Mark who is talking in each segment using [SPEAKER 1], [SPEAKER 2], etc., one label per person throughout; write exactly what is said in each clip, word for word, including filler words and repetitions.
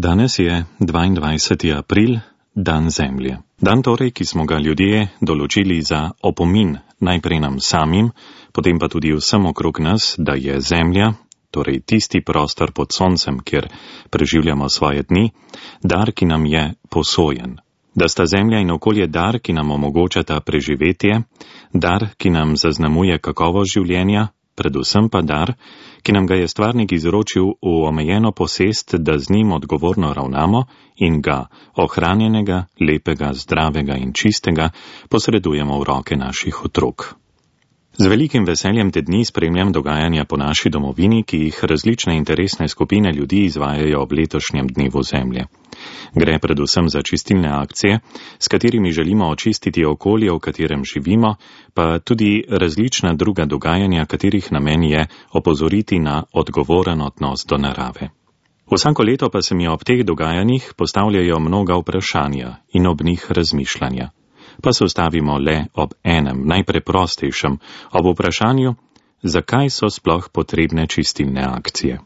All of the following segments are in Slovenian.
[SPEAKER 1] Danes je dvaindvajseti april, dan Zemlje. Dan torej, ki smo ga ljudje določili za opomin najprej nam samim, potem pa tudi vsem okrog nas, da je Zemlja, torej tisti prostor pod soncem, kjer preživljamo svoje dni, dar, ki nam je posojen. Da sta Zemlja in okolje dar, ki nam omogočata preživetje, dar, ki nam zaznamuje kakovost življenja, predvsem pa dar, ki nam ga je stvarnik izročil v omejeno posest, da z njim odgovorno ravnamo in ga, ohranjenega, lepega, zdravega in čistega, posredujemo v roke naših otrok. Z velikim veseljem te dni spremljam dogajanja po naši domovini, ki jih različne interesne skupine ljudi izvajajo ob letošnjem dnevu Zemlje. Gre predvsem za čistilne akcije, s katerimi želimo očistiti okolje, v katerem živimo, pa tudi različna druga dogajanja, katerih namen je opozoriti na odgovoren odnos do narave. Vsako leto pa se mi ob teh dogajanjih postavljajo mnoga vprašanja in ob njih razmišljanja. Pa se ustavimo le ob enem, najpreprostejšem, ob vprašanju, zakaj so sploh potrebne čistilne akcije.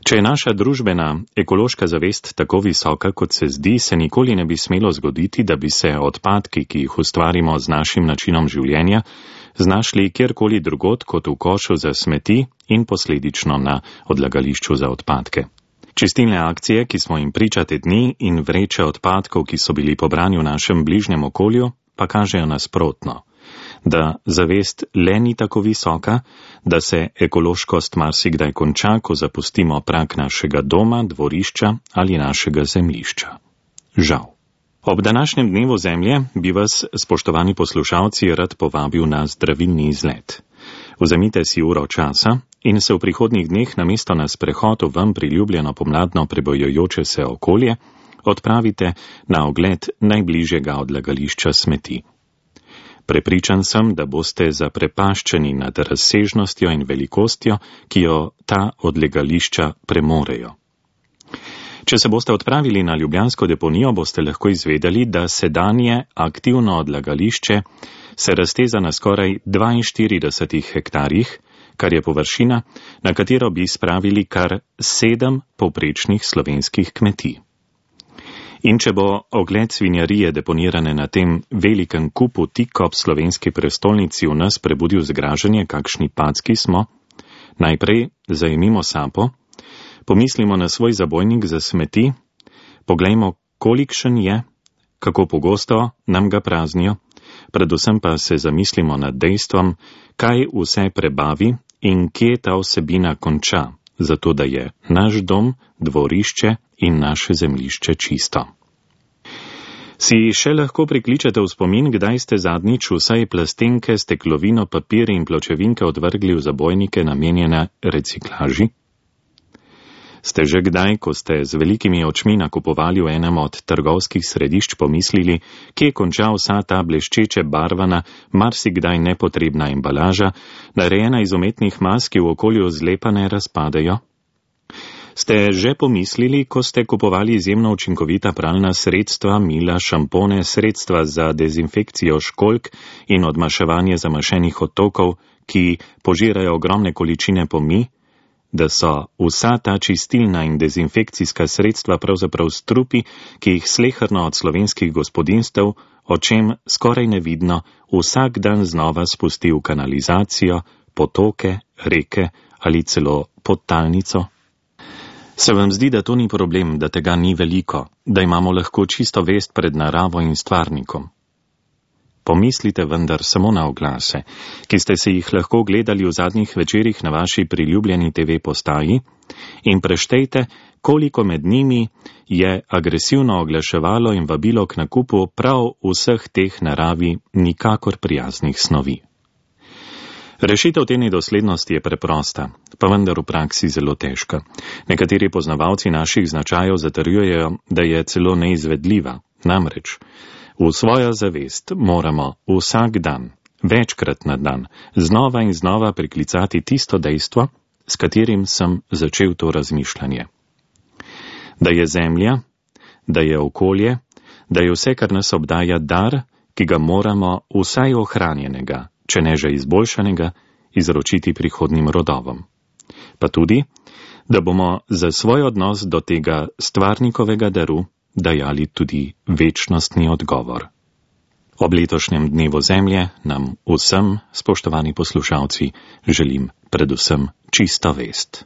[SPEAKER 1] Če je naša družbena ekološka zavest tako visoka, kot se zdi, se nikoli ne bi smelo zgoditi, da bi se odpadki, ki jih ustvarimo z našim načinom življenja, znašli kjerkoli drugod kot v košu za smeti in posledično na odlagališču za odpadke. Čistilne akcije, ki smo jim priča te dni, in vreče odpadkov, ki so bili pobrani v našem bližnjem okolju, pa kažejo nasprotno, da zavest le ni tako visoka, da se ekološkost marsikdaj konča, ko zapustimo prag našega doma, dvorišča ali našega zemljišča. Žal. Ob današnjem dnevu Zemlje bi vas, spoštovani poslušalci, rad povabil na zdravilni izlet. Vzemite si uro časa in se v prihodnjih dneh namesto na sprehod v vam priljubljeno pomladno prebojujoče se okolje odpravite na ogled najbližjega odlagališča smeti. Prepričan sem, da boste zaprepaščeni nad razsežnostjo in velikostjo, ki jo ta odlagališča premorejo. Če se boste odpravili na ljubljansko deponijo, boste lahko izvedeli, da sedanje aktivno odlagališče se razteza na skoraj dvainštiridesetih hektarjih, kar je površina, na katero bi spravili kar sedem povprečnih slovenskih kmetij. In če bo ogled svinjarije deponirane na tem velikem kupu tik ob slovenski prestolnici v nas prebudil zgražanje, kakšni packi smo, najprej zajemimo sapo, pomislimo na svoj zabojnik za smeti, poglejmo, kolikšen je, kako pogosto nam ga praznijo, predvsem pa se zamislimo nad dejstvom, kaj vse prebavi in kje ta vsebina konča, zato da je naš dom, dvorišče in naše zemljišče čisto. Si še lahko prikličete v spomin, kdaj ste zadnjič vsaj plastenke, steklovino, papir in pločevinke odvrgli v zabojnike namenjene reciklaži? Ste že kdaj, ko ste z velikimi očmi nakupovali v enem od trgovskih središč, pomislili, kje konča vsa ta bleščeče barvana, marsikdaj nepotrebna embalaža, narejena iz umetnih mas, ki v okolju zlepa ne razpadejo? Ste že pomislili, ko ste kupovali izjemno učinkovita pralna sredstva, mila, šampone, sredstva za dezinfekcijo školjk in odmaševanje zamašenih odtokov, ki požirajo ogromne količine pomij, da so vsa ta čistilna in dezinfekcijska sredstva pravzaprav strupi, ki jih sleherno od slovenskih gospodinstev, o čem skoraj nevidno, vsak dan znova spusti v kanalizacijo, potoke, reke ali celo podtalnico? Se vam zdi, da to ni problem, da tega ni veliko, da imamo lahko čisto vest pred naravo in stvarnikom? Pomislite vendar samo na oglase, ki ste se jih lahko gledali v zadnjih večerih na vaši priljubljeni te ve postaji, in preštejte, koliko med njimi je agresivno oglaševalo in vabilo k nakupu prav vseh teh naravi nikakor prijaznih snovi. Rešitev te nedoslednosti je preprosta, pa vendar v praksi zelo težka. Nekateri poznavalci naših značajev zatrjujejo, da je celo neizvedljiva, namreč v svojo zavest moramo vsak dan, večkrat na dan, znova in znova priklicati tisto dejstvo, s katerim sem začel to razmišljanje. Da je zemlja, da je okolje, da je vse, kar nas obdaja, dar, ki ga moramo vsaj ohranjenega, če ne že izboljšanega, izročiti prihodnim rodovom. Pa tudi, da bomo za svoj odnos do tega stvarnikovega daru dajali tudi večnostni odgovor. Ob letošnjem dnevu Zemlje nam vsem, spoštovani poslušalci, želim predvsem čisto vest.